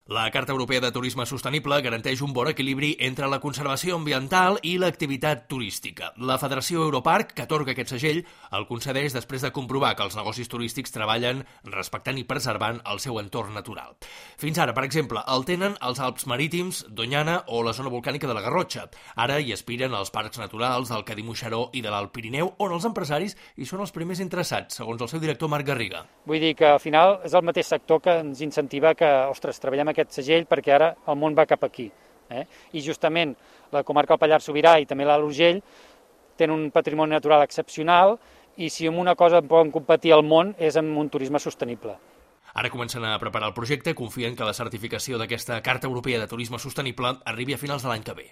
La Carta Europea de Turisme Sostenible garanteix un bon equilibri entre la conservació ambiental i l'activitat turística. La Federació Europarc, que atorga aquest segell, el concedeix després de comprovar que els negocis turístics treballen respectant i preservant el seu entorn natural. Fins ara, per exemple, el tenen els Alps Marítims, Doñana o la zona volcànica de la Garrotxa. Ara hi aspiren els parcs naturals del Cadí-Moixeró i de l'Alt Pirineu, on els empresaris hi són els primers interessats, segons el seu director Marc Garriga. Vull dir que al final és el mateix sector que ens incentiva que, treballem aquest segell perquè ara el món va cap aquí. I justament la comarca del Pallars Sobirà i també l'Alt Urgell tenen un patrimoni natural excepcional i si amb una cosa poden competir al món és amb un turisme sostenible. Ara comencen a preparar el projecte, confien que la certificació d'aquesta Carta Europea de Turisme Sostenible arribi a finals de l'any que ve.